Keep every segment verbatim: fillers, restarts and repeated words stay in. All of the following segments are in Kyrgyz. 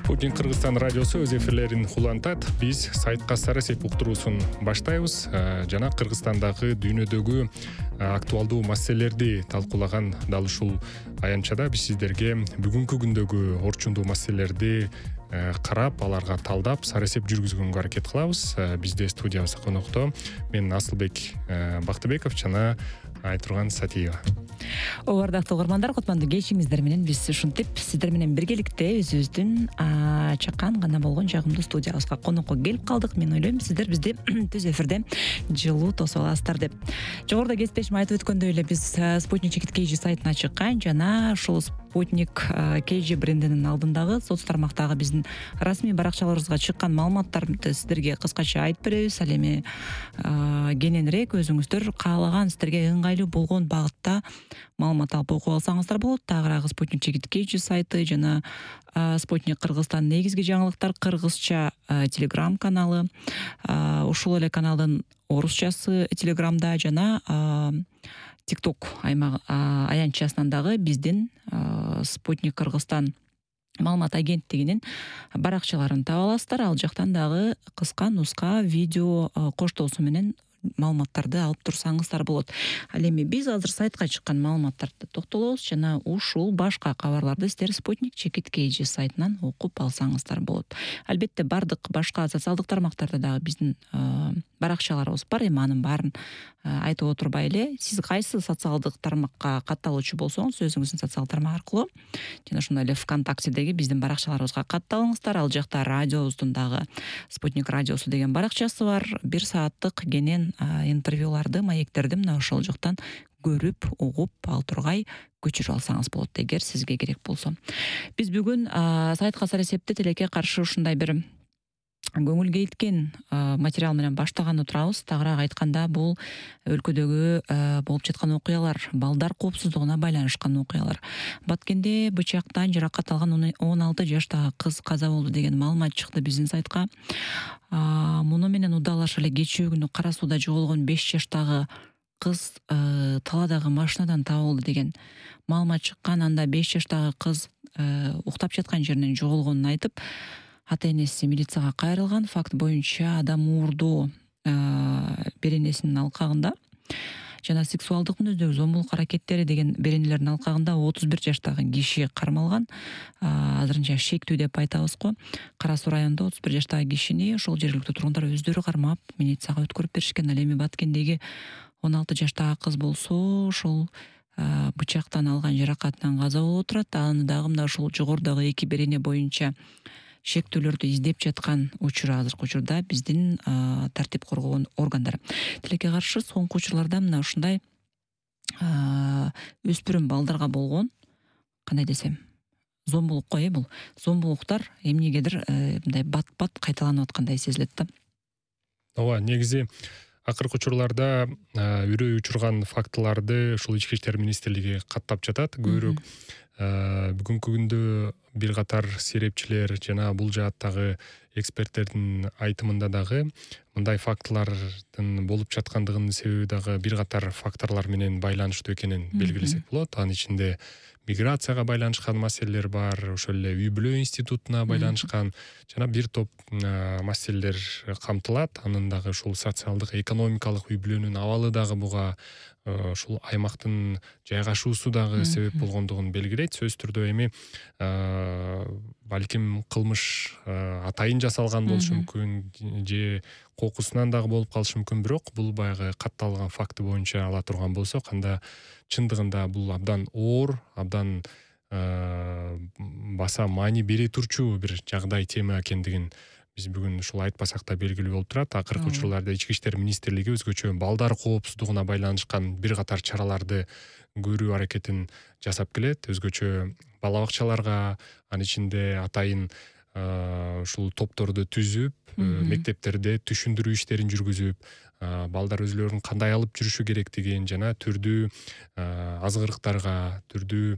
Спутник Кыргызстан радиосу өз эфирлерин улантат. Биз сайтка Сарасеп уктуруусун баштайбыз. Жана Кыргызстандагы дүйнөдөгү актуалдуу маселелерди талкуулаган дал ушул аянтчада биз сиздерге бүгүнкү күндөгү орчундуу маселелерди карап, аларга талдап, Сарасеп жүргүзгөнгө аракет кылабыз. Бизде студиябызда конокто мен Асылбек Бактыбеков жана Айтурган Сатиева. Ардактуу угармандар, кутмандуу кечиңиздер менен биз ушинтип сиздер менен биргеликте өзүбүздүн чакан гана болгон жагымдуу студиябызга конокко келип калдык. Мен ойлойм, сиздер бизди түз эфирде жылуу тосуп аласыздар деп. Жогоруда кесиптешим айтып өткөндөй эле биз Спутник Чекит кей жи сайтына чыккан жана ушул Спутник кей жи брендинин алдындагы соц тармактагы биздин расмий баракчаларыбызга чыккан маалыматтарды сиздерге кыскача айтып беребиз. Ал эми кененирээк өзүңүздөр каалаган сиздерге ыңгайлуу болгон багытта маалымат алып окуп алсаңыздар болот. Тагыраагы Спутник Чекит кей жи сайты жана Спутник Кыргызстан негизги жаңылыктар кыргызча телеграм каналы, ушул эле каналдын орусчасы телеграмда жана тикток аймак аянтчасынан дагы биздин Спутник Кыргызстан маалымат агенттигинин баракчаларын таба аласыздар. Ал жактан дагы кыска нуска видео коштоосу менен маалыматтарды алып турсаңыздар болот. Ал эми биз азыр сайтка чыккан маалыматтарды токтолобуз жана ушул башка кабарларды сиздер Спутник Чекит кей жи сайтынан окуп алсаңыздар болот. Албетте бардык башка социалдык тармактарда дагы биздин баракчаларыбыз бар. Эми анын баарын айтып отурбай эле, сиз кайсы социалдык тармакка катталуучу болсоңуз, өзүңүздүн социалдык тармак аркылуу жана ошондой эле ВКонтактедеги биздин баракчаларыбызга катталыңыздар. Ал жакта радиобуздун дагы Спутник радиосу деген баракчасы бар. Бир сааттык кенен интервьюларды, маектерди мына ошол жактан көрүп, угуп, ал тургай көчүрүп алсаңыз болот, эгер сизге керек болсо. Биз бүгүн сайтка Сарасепти тилекке каршы ушундай бир көңүл кейткен материал менен баштаган турабыз. Тагыраак айтканда, бул өлкөдөгү болуп жаткан окуялар, балдар коопсуздугуна байланышкан окуялар. Баткенде бычактан жаракат алган он алты жаштагы кыз каза болду деген маалымат чыкты биздин сайтка. Муну менен удалаша эле кечээ күнү Кара сууда жоголгон беш жаштагы кыз таладагы машинадан табылды деген маалымат чыккан. Анда беш жаштагы кыз уктап жаткан жеринен жоголгонун айтып, ата-энеси милицияга кайрылган. Факт боюнча адам уурдоо беренесинин алкагында жана сексуалдык мүнөздөгү зомбулук аракеттери деген беренелердин алкагында отуз бир жаштагы киши кармалган. Азырынча шектүү деп айтабыз го. Кара суу районунда отуз бир жаштагы кишини ошол жергиликтүү тургундар өздөрү кармап милицияга өткөрүп беришкен. Ал эми Баткендеги он алты жаштагы кыз болсо ошол бычактан алган жаракатынан каза болуп отурат. Аны дагы мына ушул жогорудагы эки берене боюнча шектүүлөрдү издеп жаткан учур азыркы учурда биздин тартип коргоо органдары. Тилекке каршы соңку учурларда мына ушундай өспүрүм балдарга болгон, кандай десем, зомбулук кой, бул зомбулуктар эмнегедир мындай бат-бат кайталанып аткандай сезилет да. Ооба, негизи акыркы учурларда үрөй учурган фактыларды ушул Ички иштер министрлиги каттап жатат. Көбүрөөк бүгүнкү күндө бир катар серепчилер жана бул жааттагы эксперттердин айтымында дагы мындай фактылардын болуп жаткандыгынын себеби дагы бир катар факторлор менен байланыштуу экенин белгилесек болот. Анын ичинде миграцияга байланышкан маселелер бар, ошол эле үй бүлө институтуна байланышкан жана бир топ маселелер камтылат. Анын дагы ушул социалдык, экономикалык үй бүлөнүн абалы дагы буга ушул аймактын жайгашуусу дагы себеп болгондугун белгилейт. Сөзсүз түрдө эми балким кылмыш атайын жасалган болушу мүмкүн же кокусунан дагы болуп калышы мүмкүн, бирок бул баягы катталган факты боюнча ала турган болсок, анда чындыгында бул абдан оор, абдан баса маани бере турчу бир жагдай, тема экендигин биз бүгүн ушул айтпасак да белгилүү болуп турат. Акыркы учурларда Ички иштер министрлиги өзгөчө балдар коопсуздугуна байланышкан бир катар чараларды көрүү аракетин жасап келет. Өзгөчө бала бакчаларга, анын ичинде атайын ушул топторду түзүп, мектептерде түшүндүрүү иштерин жүргүзүп, балдар өзүлөрүн кандай алып жүрүшү керектигин жана түрдүү азгырыктарга, түрдүү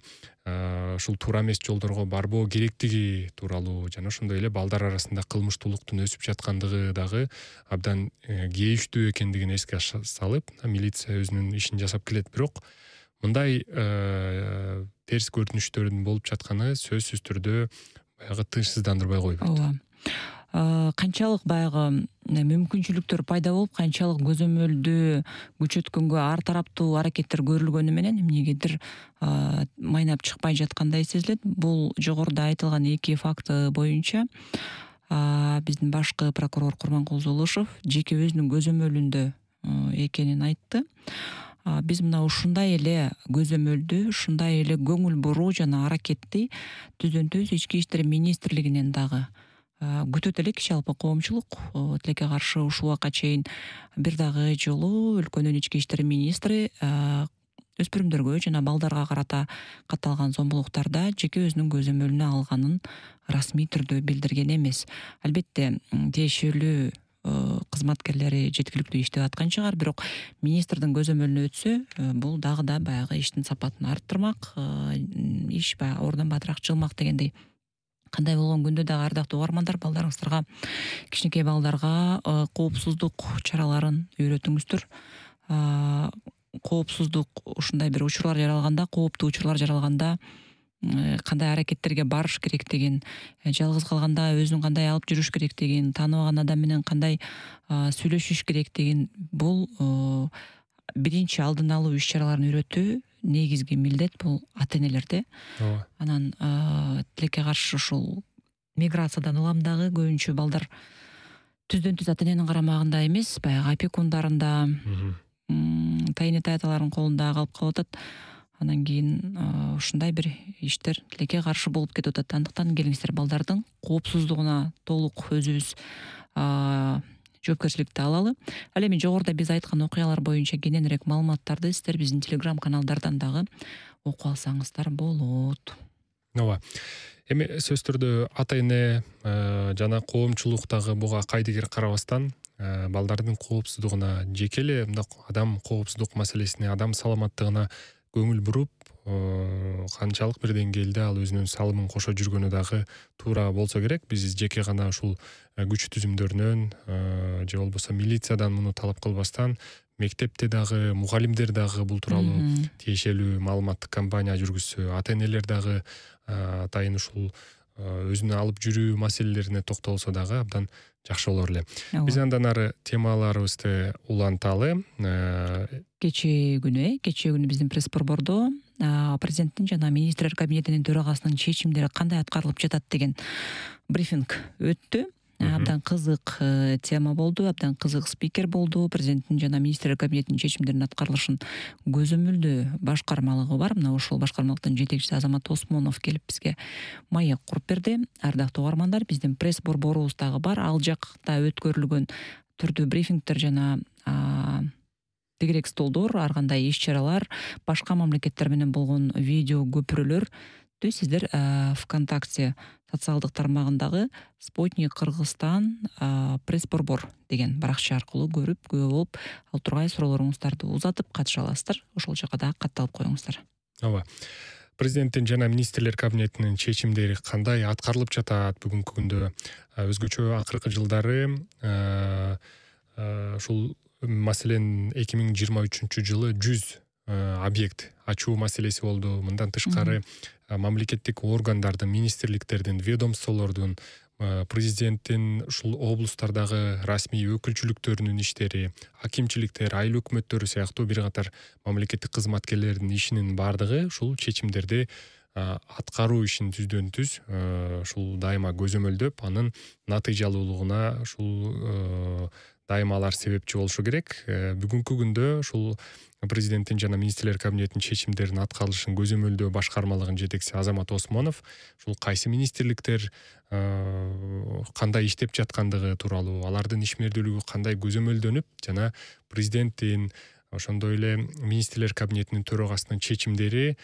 ушул туура эмес жолдорго барбоо керектиги тууралуу жана ошондой эле балдар арасында кылмыштуулуктун өсүп жаткандыгы дагы абдан кейиштүү экендигин эске салып, милиция өзүнүн ишин жасап келет. Бирок мындай терс көрүнүштөрдүн болуп жатканы сөзсүз түрдө баягы тынчсыздандырбай койбойт. Ооба. Канчалык баягы мүмкүнчүлүктөр пайда болуп, канчалык көзөмөлдү күчөткөнгө ар тараптуу аракеттер көрүлгөнү менен эмнегедир майнап чыкпай жаткандай сезилет. Бул жогоруда айтылган эки факты боюнча биздин башкы прокурор Курманкул Золушев жеке өзүнүн көзөмөлүндө экенин айтты. Биз мына ушундай эле көзөмөлдү, ушундай эле көңүл буруу жана аракетти түздөн түз ички иштер министрлигинен дагы күтөт элек жалпы коомчулук. Тилекке каршы ушул убакка чейин бир дагы жолу өлкөнүн ички иштер министри өспүрүмдөргө жана балдарга карата катталган зомбулуктарда жеке өзүнүн көзөмөлүнө алганын расмий түрдө билдирген эмес. Албетте тиешелүү кызматкерлери жеткиликтүү иштеп аткан чыгар, бирок министрдин көзөмөлүнө өтсө, бул дагы да баягы иштин сапатын арттырмак, иш баягы ордон батыраак жылмак дегендей. Кандай болгон күндө дагы ардактуу угармандар, балдарыңыздарга, кичинекей балдарга коопсуздук чараларын үйрөтүңүздөр. Коопсуздук ушундай бир учурлар жаралганда, кооптуу учурлар жаралганда кандай аракеттерге барыш керектигин, жалгыз калганда өзүн кандай алып жүрүш керектигин, тааныбаган адам менен кандай сүйлөшүш керектигин, бул биринчи алдын алуу иш-чараларын үйрөтүү негизги милдет бул ата-энелерде. Ооба. Анан тилекке каршы ушул миграциядан уламдагы көбүнчө балдар түздөн түз ата-эненин карамагында эмес, баягы опекундарында, тайыне таяталардын колунда калып калып атат. Анан кийин ушундай бир иштер тилекке каршы болуп кетип атат. Андыктан келиңиздер балдардын коопсуздугуна толук өзүбүз жоопкерчиликти алалы. Ал эми жогоруда биз айткан окуялар боюнча кененирээк маалыматтарды сиздер биздин телеграм каналдардан дагы окуп алсаңыздар болот. Ооба. Эми сөзсүз түрдө ата-эне жана коомчулук дагы буга кайдыгер карабастан балдардын коопсуздугуна, жеке эле мындак адам коопсуздук маселесине, адам саламаттыгына көңүл буруп, канчалык бир деңгээлде ал өзүнүн салымын кошо жүргөнү дагы туура болсо керек. Биз жеке гана ушул күч түзүмдөрүнөн же болбосо милициядан муну талап кылбастан, мектепте дагы, мугалимдер дагы бул тууралуу тиешелүү маалыматтык кампания жүргүзсө, ата-энелер дагы атайын ушул өзүнө алып жүрүү маселелерине токтолсо дагы абдан жакшы болор эле. Биз андан ары темаларыбызды уланталы. Кечээ күнү, кечээ күнү биздин пресс-борбордо президенттин жана министрлер кабинетинин төрагасынын чечимдери кандай аткарылып жатат деген брифинг өттү. Абдан кызык тема болду, абдан кызык спикер болду. Президенттин жана министрлер кабинетинин чечимдеринин аткарылышын көзөмөлдөө башкармалыгы бар. Мына ошол башкармалыктын жетекчиси Азамат Осмонов келип бизге маек куруп берди. Ардактуу угармандар, биздин пресс-борборубуз дагы бар. Ал жакта өткөрүлгөн түрдүү брифингдер жана тегерек столдор, ар кандай иш-чаралар, башка мамлекеттер менен болгон видео көпүрөлөр сиздер ВКонтакте социалдык тармагындагы Спутник Кыргызстан пресс-борбор деген баракча аркылуу көрүп, күбө болуп, ал тургай суроолоруңуздарды узатып катыша аласыздар. Ошол жака дагы катталып коюңуздар. Ооба. Президенттин жана министрлер кабинетинин чечимдери кандай аткарылып жатат бүгүнкү күндө? Өзгөчө акыркы жылдары ушул маселен эки миң жыйырма үчүнчү жылы жүз объект ачуу маселеси болду. Мындан тышкары мамлекеттик органдардын, министрликтердин, ведомстволордун, президенттин ушул облустардагы расмий өкүлчүлүктөрүнүн иштери, акимчиликтер, айыл өкмөттөрү сыяктуу бир катар мамлекеттик кызматкерлердин ишинин баардыгы ушул чечимдерди аткаруу ишин түздөн түз ушул дайыма көзөмөлдөп, анын натыйжалуулугуна ушул дайыма алар себепчи болушу керек. Бүгүнкү күндө ушул президенттин жана министрлер кабинетинин чечимдеринин аткарылышын көзөмөлдөө башкармалыгынын жетекчиси Азамат Осмонов ушул кайсы министрликтер кандай иштеп жаткандыгы тууралуу, алардын ишмердүүлүгү кандай көзөмөлдөнүп жана президенттин, ошондой эле министрлер кабинетинин төрагасынын чечимдери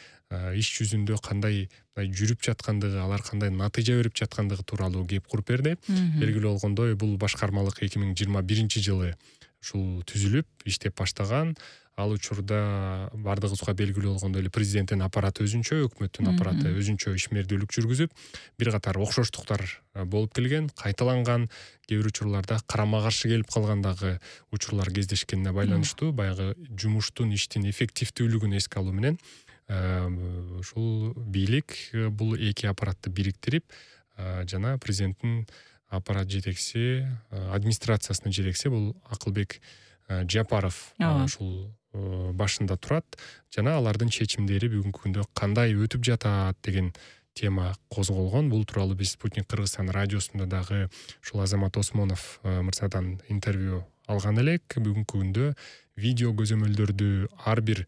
иш жүзүндө кандай жүрүп жаткандыгы, алар кандай натыйжа берип жаткандыгы тууралуу кеп куруп берди. Белгилүү болгондой, бул башкармалык эки миң жыйырма биринчи жылы ушул түзүлүп, иштеп баштаган. Ал учурда бардыгыбызга белгилүү болгондой эле президенттин аппараты өзүнчө, өкмөттүн аппараты өзүнчө ишмердүүлүк жүргүзүп, бир катар окшоштуктар болуп келген, кайталанган, кээ бир учурларда карама каршы келип калган дагы учурлар кездешкенине байланыштуу, баягы жумуштун, иштин эффективдүүлүгүн эске алуу менен ушул бийлик бул эки аппаратты бириктирип, жана президенттин аппарат жетекчиси, администрациясынын жетекчиси бул Акылбек Жапаров ушул башында турат жана алардын чечимдери бүгүнкү күндө кандай өтүп жатат деген тема козголгон. Бул тууралуу биз Спутник Кыргызстан радиосунда дагы ушул Азамат Осмонов мырзадан интервью алган элек. Бүгүнкү күндө видео көзөмөлдөрдү ар бир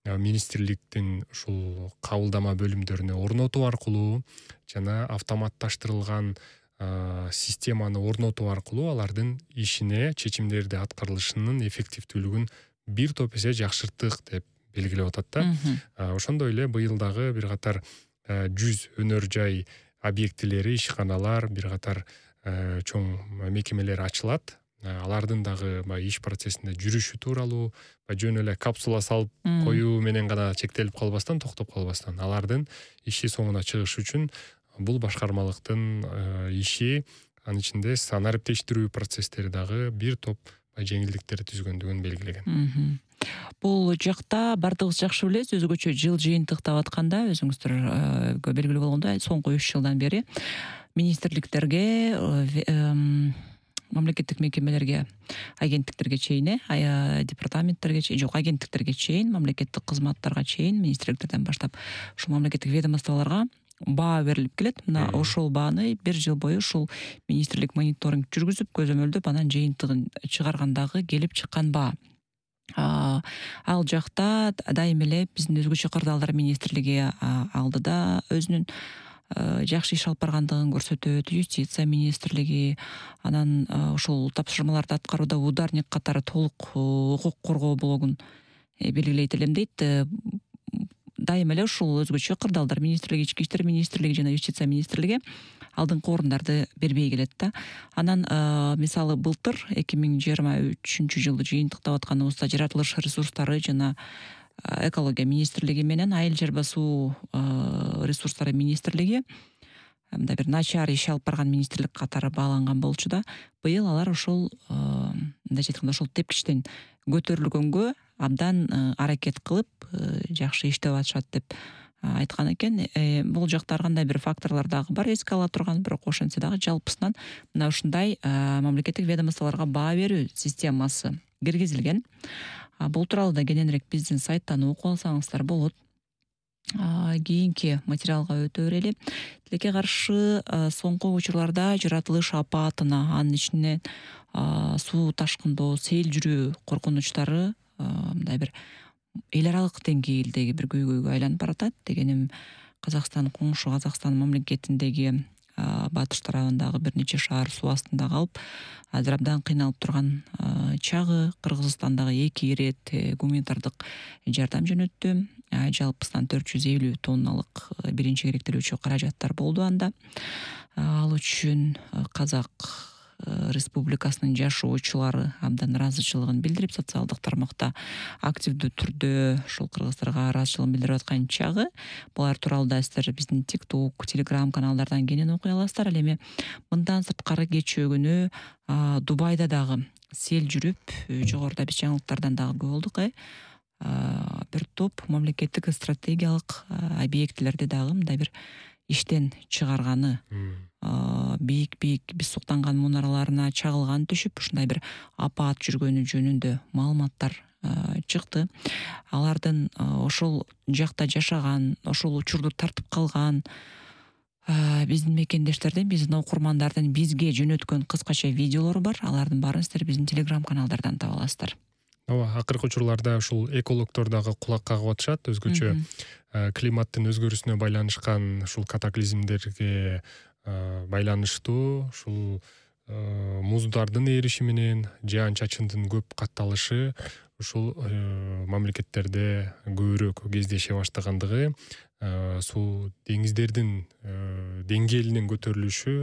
министрликтин ушул кабылдама бөлүмдөрүнө орнотуу аркылуу жана автоматташтырылган системаны орнотуу аркылуу алардын ишине, чечимдерди аткарылышынын эффективдүүлүгүн бир топ эсе жакшырттык деп белгилеп атат да. Ошондой эле быйыл дагы бир катар жүз өнөр жай объектилери, ишканалар, бир катар чоң мекемелер ачылат. Алардын дагы баягы иш процессинде жүрүшү тууралуу, жөн эле капсула салып коюу менен гана чектелип калбастан, токтоп калбастан, алардын иши соңуна чыгышы үчүн бул башкармалыктын иши, анын ичинде санариптештирүү процесстери дагы бир топ жеңилдиктер түзгөндүгүн белгилеген. Бул жакта бардыгыбыз жакшы билебиз, өзгөчө жыл жыйынтыктап атканда, өзүңүздөр белгилүү болгондой, соңку үч жылдан бери министрликтерге, мамлекеттик мекемелерге, агенттиктерге чейин, департаменттерге чейин, жок, агенттиктерге чейин, мамлекеттик кызматтарга чейин, министрликтерден баштап ушул мамлекеттик ведомстволорго баа берилип келет. Мына ошол бааны бир жыл бою ушул министрлик мониторинг жүргүзүп, көзөмөлдөп, анан жыйынтыгын чыгаргандагы келип чыккан баа. Ал жакта дайым эле биздин өзгөчө кырдаалдар министрлиги алдыда өзүнүн жакшы иш алып баргандыгын көрсөтөт, юстиция министрлиги, анан ушул тапшырмаларды аткарууда ударник катары толук укук коргоо блогун белгилейт элем дейт. Дайым эле ушул өзгөчө кырдаалдар министрлиги, ички иштер министрлиги жана юстиция министрлиги алдыңкы орундарды бербей келет да. Анан мисалы былтыр эки миң жыйырма үчүнчү жылды жыйынтыктап атканыбызда жаратылыш ресурстары жана экология министрлиги менен айыл жер басуу ресурстары министрлиги мындай бир начар иш алып барган министрлик катары бааланган болчу да. Быйыл алар ошол мындайча айтканда ошол тепкичтен көтөрүлгөнгө абдан аракет кылып жакшы иштеп атышат деп айткан экен. Бул жакта ар кандай бир факторлор дагы бар эске ала турган, бирок ошентсе дагы жалпысынан мына ушундай мамлекеттик ведомстволорго баа берүү системасы киргизилген. Бул тууралуу да кененирээк биздин сайттан окуп алсаңыздар болот. Кийинки материалга өтө берели. Тилекке каршы соңку учурларда жаратылыш апатына, анын ичинен суу ташкындоо, сел жүрүү коркунучтары мындай бир эл аралык деңгээлдеги бир көйгөйгө айланып баратат. Дегеним, Казакстан, коңшу Казакстан мамлекетиндеги батыш тарабындагы бир нече шаар суу астында калып, азыр абдан кыйналып турган чагы. Кыргызстандагы эки ирет гуманитардык жардам жөнөттү. Жалпысынан төрт жүз элүү тонналык биринчи керектелүүчү каражаттар болду анда. Ал үчүн Казак Республикасынын жашоочулары абдан ыраазычылыгын билдирип, социалдык тармакта активдүү түрдө ушул кыргыздарга ыраазычылыгын билдирип аткан чагы. Булар тууралуу да сиздер биздин TikTok, Telegram каналдардан кенен окуй аласыздар. Ал эми мындан сырткары кечээ күнү Дубайда дагы сел жүрүп, жогоруда биз жаңылыктардан дагы көрүп болдук. Бир топ мамлекеттик стратегиялык объектилерди дагы мындай бир иштен чыгарганы, бийик-бийик биз суктанган мунараларына чагылган түшүп, ушундай бир апаат жүргөнү жөнүндө маалыматтар чыкты. Алардын ошол жакта жашаган, ошол учурду тартып калган биздин мекендештердин, биздин окурмандардын бизге жөнөткөн кыскача видеолору бар. Алардын баарын сиздер биздин Telegram каналдардан таба аласыздар. Ооба, акыркы учурларда ушул экологдор дагы кулак кагып атышат. Өзгөчө климаттын өзгөрүүсүнө байланышкан ушул катаклизмдерге байланыштуу ушул муздардын эриши менен жаан-чачындын көп катталышы ушул мамлекеттерде көбүрөөк кездеше баштагандыгы, суу деңиздердин деңгээлинин көтөрүлүшү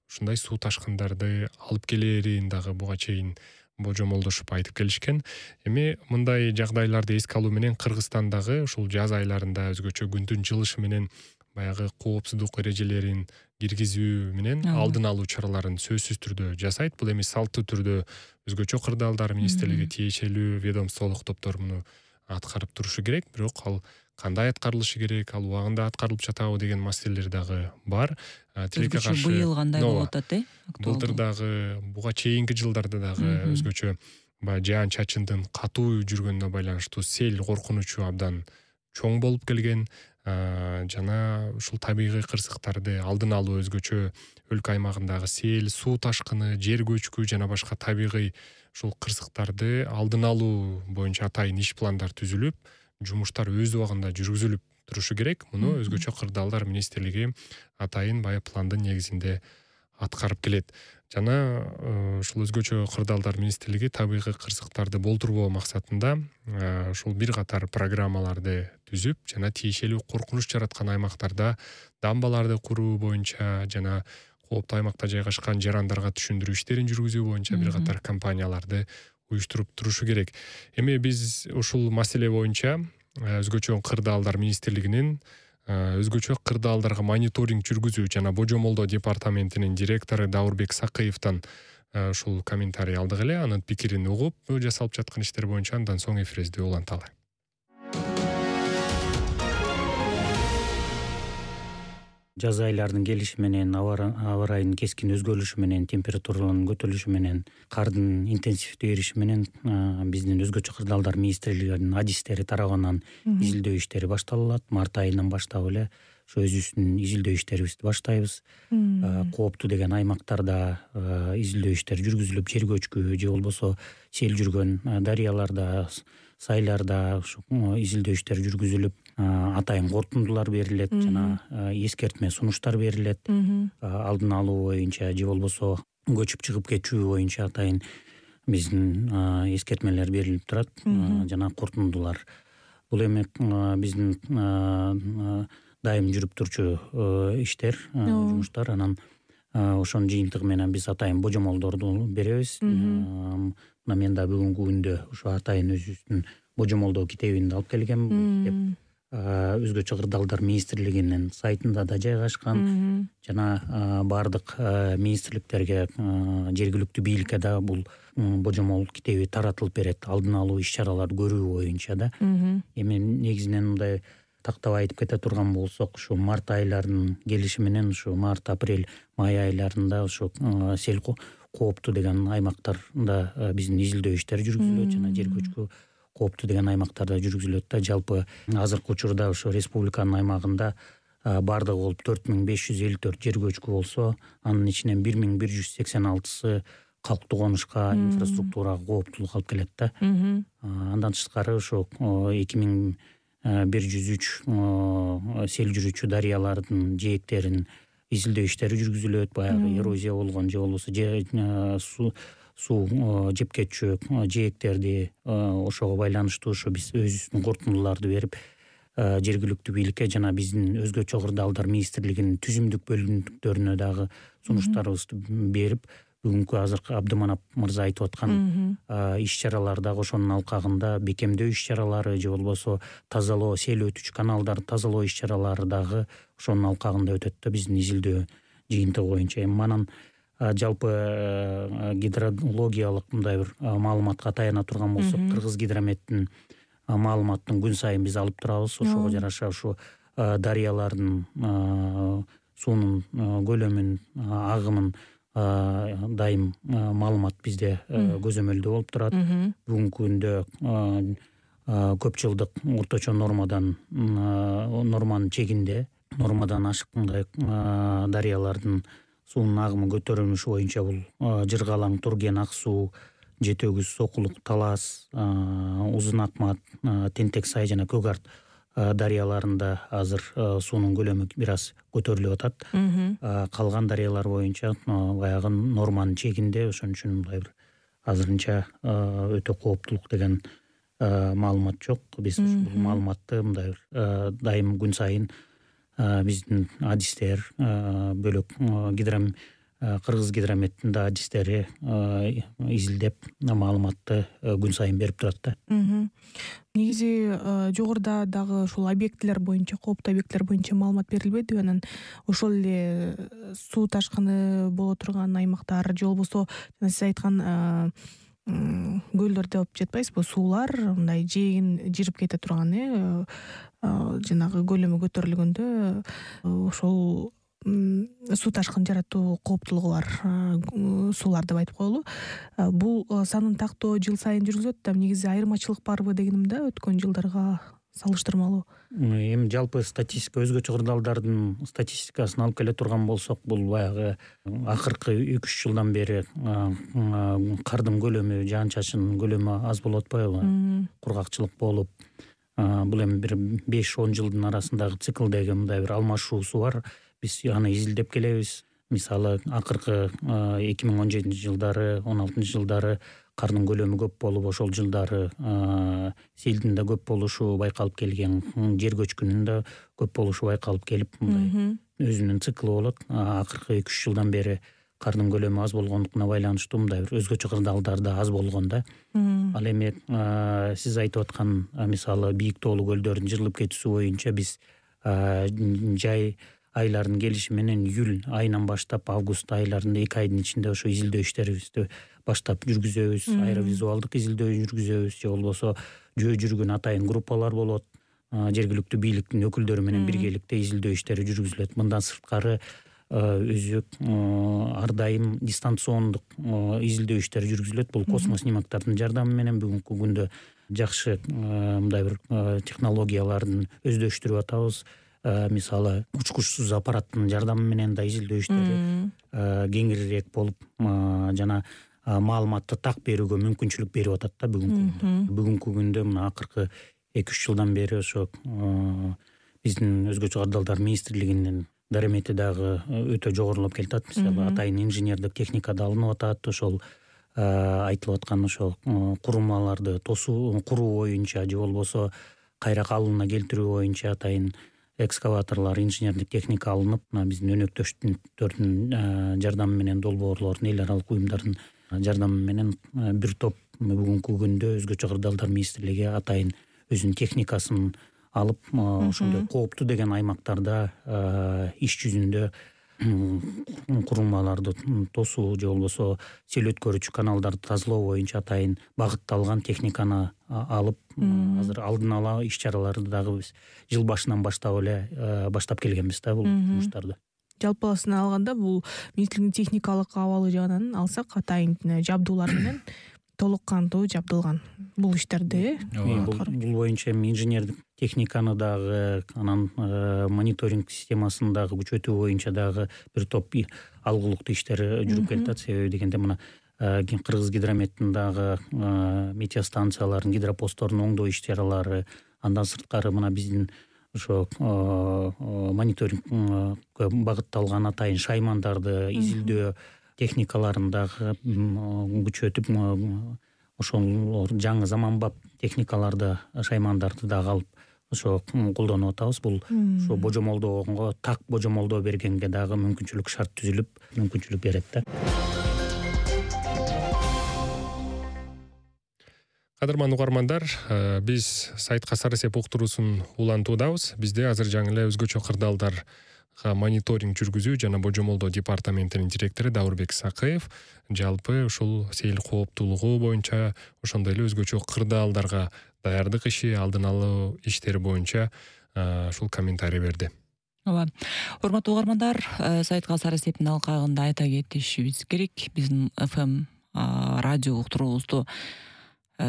ушундай суу ташкындарды алып келерин дагы буга чейин божомолдошуп айтып келишкен. Эми мындай жагдайларды эске алуу менен Кыргызстандагы ушул жаз айларында өзгөчө күндүн жылышы менен баягы коопсуздук эрежелерин киргизүү менен алдын алуу чараларын сөзсүз түрдө жасайт. Бул эми салттуу түрдө өзгөчө кырдаалдар министрлиги, тиешелүү ведомстволук топтор муну аткарып турушу керек, бирок ал кандай аткарылышы керек, ал убагында аткарылып жатабы деген маселелер дагы бар. Тилекке каршы быйыл кандай болуп атат, э? Былтыр дагы, буга чейинки жылдарда дагы өзгөчө баягы жаан чачындын катуу жүргөнүнө байланыштуу сел коркунучу абдан чоң болуп келген. Жана ушул табигый кырсыктарды алдын алуу, өзгөчө өлкө аймагындагы сел, суу ташкыны, жер көчкү жана башка табигый ушул кырсыктарды алдын алуу боюнча атайын иш пландар түзүлүп, жумуштар өз убагында жүргүзүлүп турушу керек. Муну өзгөчө кырдаалдар министрлиги атайын баягы пландын негизинде аткарып келет. Жана ушул өзгөчө кырдаалдар министрлиги табигый кырсыктарды болтурбоо максатында ушул бир катар программаларды түзүп, жана тиешелүү коркунуч жараткан аймактарда дамбаларды куруу боюнча жана кооптуу аймакта жайгашкан жарандарга түшүндүрүү иштерин жүргүзүү боюнча бир катар компанияларды уюштуруп турушу керек. Эми биз ушул маселе боюнча өзгөчө кырдаалдар министрлигинин өзгөчө кырдаалдарга мониторинг жүргүзүү жана божомолдоо департаментинин директору Даурбек Сакыевден ушул комментарий алдык эле. Анын пикирин угуп, жасалып жаткан иштер боюнча андан соң эфирибизди уланталы. Жаз айларынын келиши менен, аба ырайынын кескин өзгөрүлүшү менен, температуралардын көтөрүлүшү менен, кардын интенсивдүү эриши менен биздин өзгөчө кырдаалдар министрлигинин адистери тарабынан изилдөө иштери башталат. Март айынан баштап эле ошо өзүбүздүн изилдөө иштерибизди баштайбыз. Кооптуу деген аймактарда изилдөө иштери жүргүзүлүп, жер көчкү же болбосо сел жүргөн дарыяларда, сайларда ушу изилдөө иштери жүргүзүлүп, атайын кортундулар берилет жана эскертме сунуштар берилет. Алдын алуу боюнча же болбосо көчүп чыгып кетүү боюнча атайын биздин эскертмелер берилип турат жана кортундулар. Бул эми биздин дайым жүрүп турчу иштер, жумуштар. Анан ошонун жыйынтыгы менен биз атайын божомолдорду беребиз. Мына мен да бүгүнкү күндө ошо атайын өзүбүздүн божомолдоо китебинди алып келгем. Китеп өзгөчө кырдаалдар министрлигинин сайтында да жайгашкан жана баардык министрликтерге, жергиликтүү бийликке да бул божомол китеби таратылып берет, алдын алуу иш-чараларды көрүү боюнча да. Эми негизинен мындай тактап айтып кете турган болсок, ушу март айларынын келиши менен ушу март, апрель, май айларында ушу сел кооптуу деген аймактарда биздин изилдөө иштери жүргүзүлөт жана жер көчкү кооптуу деген аймактарда жүргүзүлөт да. Жалпы азыркы учурда ошо республиканын аймагында бардыгы болуп төрт миң беш жүз элүү төрт жер көчкү болсо, анын ичинен бир миң бир жүз сексен алтысы калктуу конушка, инфраструктурага кооптуулук алып келет да. Андан тышкары ошо эки миң бир жүз үч сел жүрүүчү дарыялардын жээктерин изилдөө иштери жүргүзүлөт. Баягы эрозия болгон же болбосо суу суу жеп кетчү жээктерди ошого байланыштуу ошо биз өзүбүздүн кортундуларды берип, жергиликтүү бийликке жана биздин өзгөчө кырдаалдар министрлигинин түзүмдүк бөлүмдөрүнө дагы сунуштарыбызды берип, бүгүнкү азыркы Абдыманап мырза айтып аткан иш-чаралар дагы ошонун алкагында бекемдөө иш-чаралары же болбосо тазалоо, сел өтүчү каналдарды тазалоо иш-чаралары дагы ошонун алкагында өтөт да биздин изилдөө жыйынтыгы боюнча. Эми манан жалпы гидрологиялык мындай бир маалыматка таяна турган болсок, Кыргыз гидрометтин маалыматын күн сайын биз алып турабыз. Ошого жараша ушу дарыялардын суунун көлөмүн, агымын дайым маалымат бизде көзөмөлдөө болуп турат. Бүгүнкү күндө көп жылдык орточо нормадан норманын чегинде, нормадан ашык мындай дарыялардын суунун агымы көтөрүлүшү боюнча бул Жыргалаң, Турген, Ак суу, Жети өгүз, Сокулук, Талас, Узун Акмат, Тентек сай жана Көк Арт дарыяларында азыр суунун көлөмү бир аз көтөрүлүп атат. Калган дарыялар боюнча баягы норманын чегинде, ошон үчүн мындай бир азырынча өтө кооптулук деген маалымат жок. Биз бул маалыматты мындай бир дайым күн сайын биздин адистер, бөлөк гидром Кыргыз гидрометтин да адистери изилдеп маалыматты күн сайын берип турат да. Негизи жогоруда дагы ушул объектилер боюнча, кооптуу объектилер боюнча маалымат берилбедиби? Анан ошол эле суу ташкыны боло турган аймактар же болбосо сиз айткан көлдөр деп жатпайсызбы, суулар мындай жээгин жырып кете турган, э жанагы көлөмү көтөрүлгөндө ошол суу ташкын жаратуу кооптулугу бар суулар деп айтып коелу. Бул санын тактоо жыл сайын жүргүзүлөт да, негизи айырмачылык барбы дегеним да өткөн жылдарга салыштырмалуу. Эми жалпы статистика өзгөчө кырдаалдардын статистикасын алып келе турган болсок, бул баягы акыркы үч үч жылдан бери кардын көлөмү, жаан чачын көлөмү аз болуп атпайбы, кургакчылык болуп, бул эми бир беш он жылдын арасындагы циклдеги мындай бир алмашуусу бар. Биз аны изилдеп келебиз. Мисалы, акыркы эки миң он жетинчи жылдары, он алтынчы жылдары кардын көлөмү көп болуп, ошол жылдары селдин да көп болушу байкалып келген, жер көчкүнүн да көп болушу байкалып келип, мындай өзүнүн циклы болот. Акыркы эки үч жылдан бери кардын көлөмү аз болгондугуна байланыштуу мындай бир өзгөчө кырдаалдарда аз болгон да. Ал эми сиз айтып аткан мисалы бийик тоолуу көлдөрдүн жырылып кетүүсү боюнча биз жай айлардын келиши менен июль айынан баштап август айларында эки айдын ичинде ошо изилдөө иштерибизди баштап жүргүзөбүз. Аэровизуалдык изилдөө жүргүзөбүз, же болбосо жөө жүргөн атайын группалар болот. Жергиликтүү бийликтин өкүлдөрү менен биргеликте изилдөө иштери жүргүзүлөт. Мындан сырткары өзү ар дайым дистанциондук изилдөө иштери жүргүзүлөт. Бул космос снимоктордун жардамы менен бүгүнкү күндө жакшы мындай бир технологиялардын өздөштүрүп атабыз. Мисалы, учкучсуз аппараттын жардамы менен да изилдөө иштери кеңирирээк болуп, жана маалыматты так берүүгө мүмкүнчүлүк берип атат да бүгүнкү күндө. Бүгүнкү күндө мына акыркы эки үч жылдан бери ошо биздин өзгөчө кырдаалдар министрлигинин даремети дагы өтө жогорулап келатат. Мисалы, атайын инженердик техника да алынып атат. Ошол айтылып аткан ошол курулмаларды тосуу, куруу боюнча же болбосо кайра калыбына келтирүү боюнча атайын экскаваторлор, инженердик техника алынып, биздин өнөктөштөрдүн жардамы менен, долбоорлордун, эл аралык уюмдардын жардамы менен бир топ бүгүнкү күндө өзгөчө кырдаалдар министрлиги атайын өзүнүн техникасын алып, ошондой кооптуу деген аймактарда иш жүзүндө курулмаларды тосуу же болбосо сел өткөрүүчү каналдарды тазалоо боюнча атайын багытталган техниканы алып, азыр алдын ала иш чараларды дагы биз жыл башынан баштап эле баштап келгенбиз да бул жумуштарды. Жалпысын алганда бул министрликтин техникалык абалы жагынан алсак, атайын жабдуулар менен толук кандуу жабдылган бул иштерди. Бул боюнча инженердик техниканы дагы, анан мониторинг системасын дагы күчөтүү боюнча дагы бир топ алгылыктуу иштер жүрүп келатат. Себеби дегенде мына Кыргыз гидрометтин дагы метеостанциялардын, гидропосттордун оңдоо иш чаралары, андан сырткары мына биздин ошо мониторингке багытталган атайын шаймандарды изилдөө техникаларын дагы күчөтүп, ошол жаңы заманбап техникаларды, шаймандарды дагы алып ошо колдонуп атабыз. Бул ошо божомолдоого, так божомолдоо бергенге дагы мүмкүнчүлүк шарт түзүлүп, мүмкүнчүлүк берет да. Кадырман угармандар, биз сайтка Сары сеп уктуруусун улантуудабыз. Бизде азыр жаңы эле өзгөчө кырдаалдарга мониторинг жүргүзүү жана божомолдоо департаментинин директору Даурбек Сакыев жалпы ушул сел кооптуулугу боюнча, ошондой эле өзгөчө кырдаалдарга даярдык иши, алдын алуу иштери боюнча ушул комментарий берди. Ооба. Урматтуу угармандар, сайтка Сары септин алкагында айта кетишибиз керек. Биздин эф эм радио уктуруубузду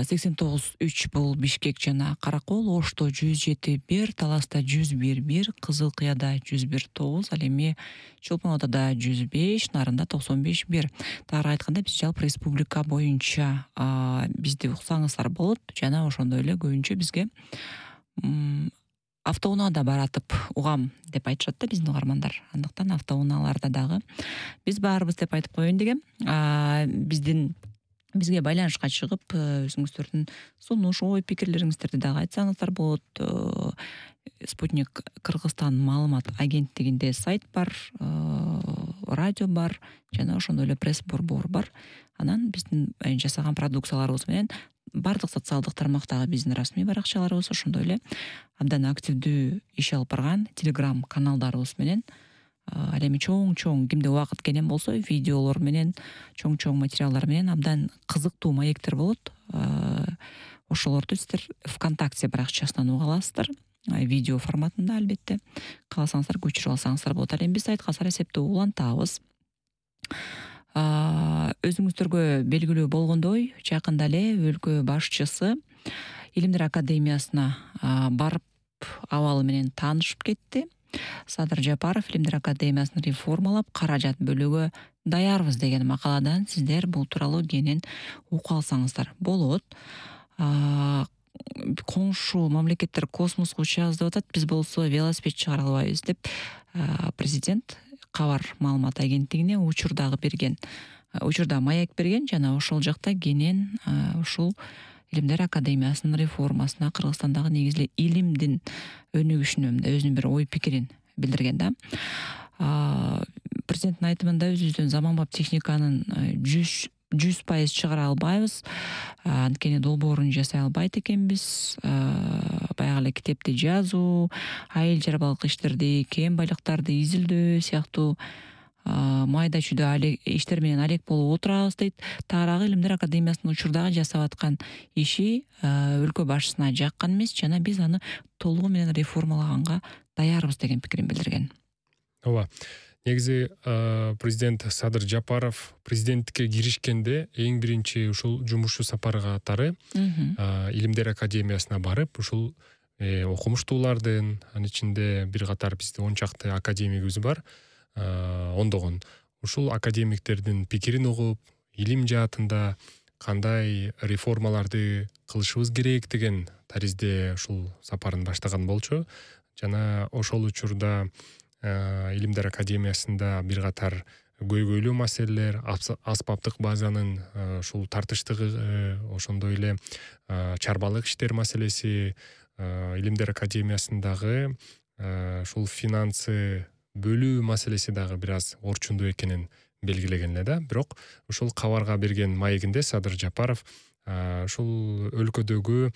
сексен тогуз үч бул Бишкек жана Каракол, Ошто жүз жети бир, Таласта жүз бир бир, Кызыл Кыяда жүз бир тогуз, ал эми Чолпон Атада жүз беш, Нарында токсон беш бир. Тагыраак айтканда, биз жалпы республика боюнча бизди уксаңыздар болот, жана ошондой эле көбүнчө бизге автоунаада баратып угам деп айтышат да биздин угармандар. Андыктан автоунааларда дагы биз барбыз деп айтып коеюн дегем. Биздин бизге байланышка чыгып, өзүңүздөрдүн сунуш, ой пикирлериңиздерди дагы айтсаңыздар болот. Спутник Кыргызстан маалымат агенттигинде сайт бар, радио бар, жана ошондой эле пресс-борбор бар. Анан биздин жасаган продукцияларыбыз менен бардык социалдык тармактагы биздин расмий баракчаларыбыз, ошондой эле абдан активдүү иш алып барган телеграм каналдарыбыз менен, ал эми чоң-чоң кимде убакыт келген болсо, видеолор менен, чоң-чоң материалдар менен абдан кызыктуу маектер болот. Ошолорду сиздер ВКонтакте баракчасынан уга аласыздар. видео форматында албетте. Кааласаңыздар көчүрүп алсаңыздар болот. Ал эми биз сайтка сарасепти улантабыз. Өзүңүздөргө белгилүү болгондой, жакында эле өлкө башчысы Илимдер академиясына барып абалы менен таанышып кетти. Садыр Жапаров Илимдер академиясын реформалап, каражат бөлүүгө даярбыз деген макаладан сиздер бул тууралуу кенен ука алсаңыздар болот. Коңшу мамлекеттер космоско учабыз деп атат, биз болсо велосипед чыгара албайбыз деп президент Кабар маалымат агенттигине учур дагы берген. Учурда маяк берген жана ошол жакта кенен ушул Илимдер академиясынын реформасына, Кыргызстандагы негизги илимдин өнүгүшүнө өзүнүн бир ой пикирин билдирген да. Президенттин айтымында өзүбүздүн заманбап техниканын жүз пайыз чыгара албайбыз. Анткени долбоорун жасай албайт экенбиз. Баягы эле китепти жазуу, айыл чарбалык иштерди, кен байлыктарды изилдөө сыяктуу майда чүйдө иштер менен алек болуп отурабыз дейт. Таарагы Илимдер академиясынын учурдагы жасап аткан иши өлкө башчысына жаккан эмес, жана биз аны толугу менен реформалаганга даярбыз деген пикирин билдирген. Ооба. Негизи президент Садыр Жапаров президенттикке киришкенде эң биринчи ушул жумушчу сапары катары Илимдер академиясына барып, ушул окумуштуулардын, анын ичинде бир катар бизде он чакты академигибиз бар, ондогон. Ушул академиктердин пикирин угуп, илим жаатында кандай реформаларды кылышыбыз керек деген таризде ушул сапарын баштаган болчу. Жана ошол учурда Илимдер академиясында бир катар көйгөйлүү маселелер, аспаптык базанын ушул тартыштыгы, ошондой эле чарбалык иштер маселеси, Илимдер академиясындагы ушул финансы бөлүү маселеси дагы бир аз орчундуу экенин белгилеген эле да. Бирок ушул кабарга берген маегинде Садыр Жапаров ушул өлкөдөгү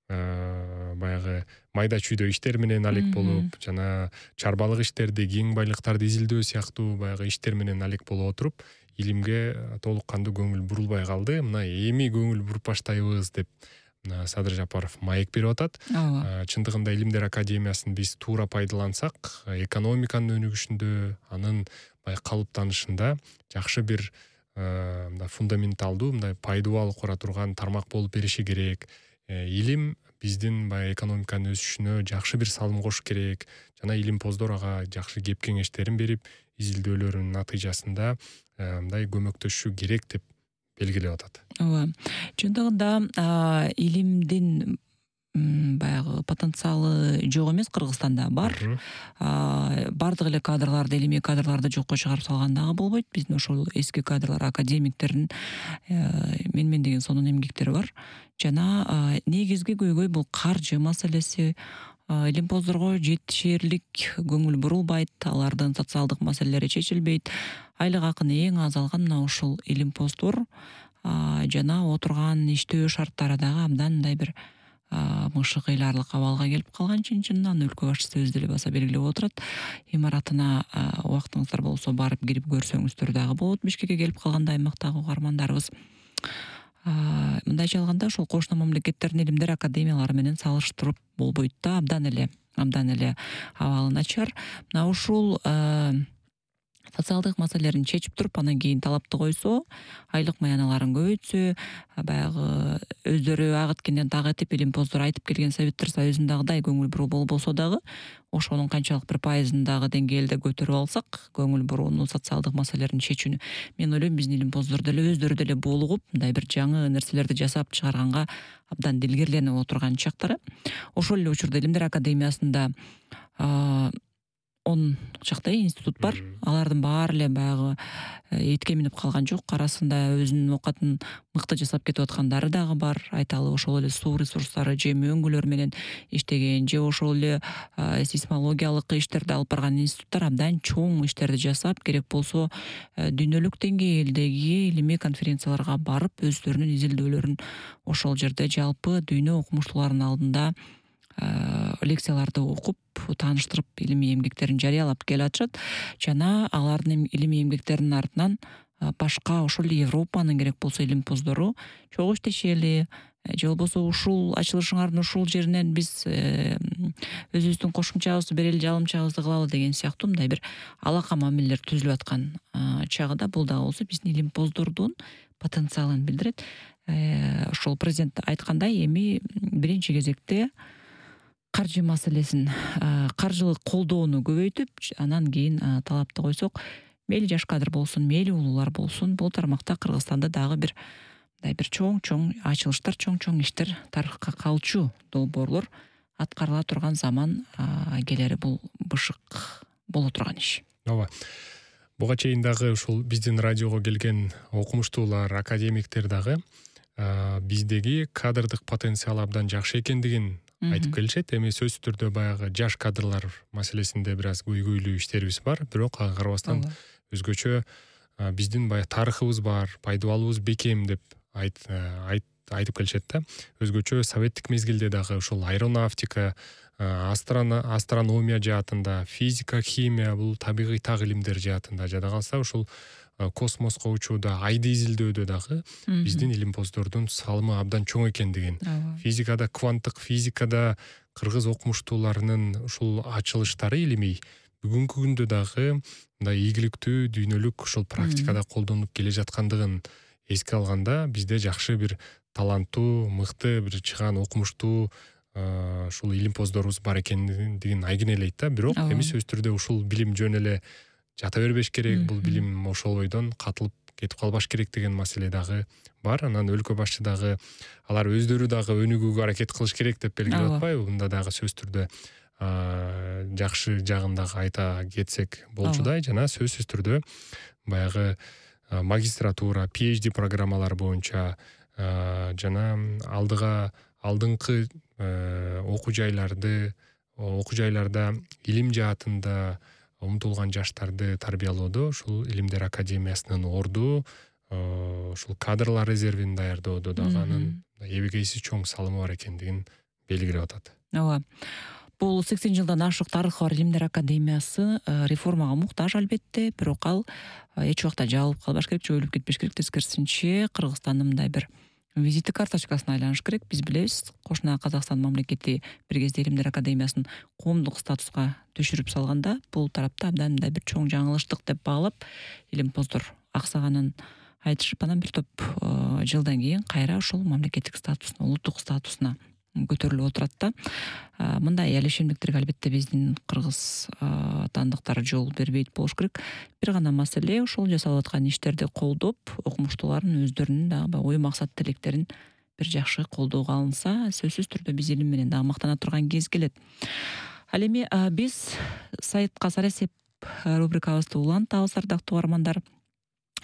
баягы майда чүйдө иштер менен алек болуп, жана чарбалык иштерди, кең байлыктарды изилдөө сыяктуу баягы иштер менен алек болуп отуруп, илимге толук кандуу көңүл бурулбай калды. Мына эми көңүл буруп баштайбыз деп Садыр Жапаров маек берип атат. Чындыгында Илимдер академиясын биз туура пайдалансак, экономиканын өнүгүшүндө, анын баягы калыптанышында жакшы бир фундаменталдуу, мындай пайдубал кура турган тармак болуп бериши керек. Илим биздин баягы экономиканын өсүшүнө жакшы бир салым кош керек. Жана илимпоздор ага жакшы кеп кеңештерин берип, изилдөөлөрүнүн натыйжасында мындай көмөктөшүшү керек деп белгилеп атат. Ооба. Чындыгында илимдин баягы потенциалы жок эмес, Кыргызстанда бар. Бардык эле кадрларды, илимий кадрларды жокко чыгарып салган дагы болбойт. Биздин ошол эски кадрлар, академиктердин менмен деген сонун эмгектери бар. Жана негизги көйгөй бул каржы маселеси. Илимпоздорго жетишерлик көңүл бурулбайт, алардын социалдык маселелери чечилбейт. Айлык акыны эң аз алган мына ушул илимпоздор, жана отурган иштөө шарттары дагы абдан мындай бир мышы кыйларлык абалга келип калган. Чын-чынынан өлкө башчысы өзү деле баса белгилеп отурат. Имаратына убактыңыздар болсо барып кирип көрсөңүздөр дагы болот. Бишкекке келип калганда аймактагы угармандарыбыз мындайча алганда ошол кошуна мамлекеттердин илимдер академиялары менен салыштырып болбойт да, абдан эле абдан эле абалы начар. Мына ушул социалдык маселелерин чечип туруп, анан кийин талапты койсо, айлык маяналарын көбөйтсө, баягы өздөрү агыткенден так этип илимпоздор айтып келген Советтер Союзундагыдай көңүл буруу болбосо дагы, ошонун канчалык бир пайызындагы деңгээлде көтөрүп алсак, көңүл бурууну, социалдык маселелерин чечүүнү, мен ойлойм биздин илимпоздор деле өздөрү деле булугуп, мындай бир жаңы нерселерди жасап чыгарганга абдан дилгерленип отурган чактары. Ошол эле учурда Илимдер академиясында он чактай институт бар. Алардын баары эле баягы этке минип калган жок. Арасында өзүнүн оокатын мыкты жасап кетип аткандары дагы бар. Айталы ошол эле суу ресурстары, жем өңгүлөр менен иштеген, же ошол эле сейсмологиялык иштерди алып барган институттар абдан чоң иштерди жасап, керек болсо дүйнөлүк деңгээлдеги илимий конференцияларга барып, өздөрүнүн изилдөөлөрүн ошол жерде жалпы дүйнө окумуштууларынын алдында лекцияларды окуп, тааныштырып, илимий эмгектерин жарыялап келе атышат. Жана алардын илимий эмгектеринин артынан башка ошол Европанын керек болсо илимпоздору чогуу иштешели, же болбосо ушул ачылышыңардын ушул жеринен биз өзүбүздүн кошумчабызды берели, жалымчабызды кылалы деген сыяктуу мындай бир алака мамилелер түзүлүп аткан чагыда бул дагы болсо биздин илимпоздордун потенциалын билдирет. Ошол президент айткандай, эми биринчи кезекте каржы маселесин, каржылык колдоону көбөйтүп, анан кийин талапты койсок, мейли жаш кадр болсун, мейли улуулар болсун, бул тармакта Кыргызстанда дагы бир мындай бир чоң-чоң ачылыштар, чоң-чоң иштер, тарыхка калчу долбоорлор аткарыла турган заман келери бул бышык боло турган иш. Ооба. Буга чейин дагы ушул биздин радиого келген окумуштуулар, академиктер дагы биздеги кадрдык потенциал абдан жакшы экендигин айтып келишет. Эми сөзсүз түрдө баягы жаш кадрлар маселесинде бир аз көйгөйлүү иштерибиз бар, бирок ага карабастан өзгөчө биздин баягы тарыхыбыз бар, пайдубалыбыз бекем деп айт айтып келишет да. Өзгөчө советтик мезгилде дагы ушул аэронавтика, астрономия жаатында, физика, химия, бул табигый так илимдер жаатында, жада калса ушул космоско учууда, айды изилдөөдө дагы биздин илимпоздордун салымы абдан чоң экендигин, физикада, кванттык физикада кыргыз окумуштууларынын ушул ачылыштары илимий бүгүнкү күндө дагы мындай ийгиликтүү, дүйнөлүк ушул практикада колдонулуп келе жаткандыгын эске алганда, бизде жакшы бир таланттуу, мыкты бир чыгаан окумуштуу ушул илимпоздорубуз бар экендигин айгинелейт да. Бирок эми сөзсүз түрдө ушул билим жөн эле жата бербеш керек, бул билим ошол бойдон катылып кетип калбаш керек деген маселе дагы бар. Анан өлкө башчы дагы алар өздөрү дагы өнүгүүгө аракет кылыш керек деп белгилеп атпайбы? Мында дагы сөзсүз түрдө жакшы жагын дагы айта кетсек болчудай. Жана сөзсүз түрдө баягы магистратура, пи эйч ди программалар боюнча жана алдыга алдыңкы окуу жайларды, окуу жайларда илим жаатында умтулган жаштарды тарбиялоодо ушул Илимдер академиясынын орду, ушул кадрлар резервин даярдоодо дагы анын эбегейсиз чоң салымы бар экендигин белгилеп атат. Ооба. Бул сексен жылдан ашык тарыхы бар Илимдер академиясы реформага муктаж албетте, бирок ал эч убакта жабылып калбаш керек, жоюлуп кетпеш керек. Тескерисинче Кыргызстандын мындай бир визиттик карточкасына айланыш керек. Биз билебиз, кошуна Казакстан мамлекети бир кезде Илимдер академиясын коомдук статуска түшүрүп салганда, бул тарапта абдан мындай бир чоң жаңылыштык деп баалап, илимпоздор аксаганын айтышып, анан бир топ жылдан кийин кайра ошол мамлекеттик статусуна, улуттук статусуна көтөрүлүп отурат да. Мындай элешемдиктерге албетте биздин кыргыз тандыктар жол бербейт болуш керек. Бир гана маселе ошол жасалып аткан иштерди колдоп, окумуштуулардын өздөрүнүн дагы ой максат тилектерин бир жакшы колдоого алынса, сөзсүз түрдө биз илим менен дагы мактана турган кез келет. Ал эми биз сайтка Сарасеп рубрикабызды улантабыз, ардактуу угармандар.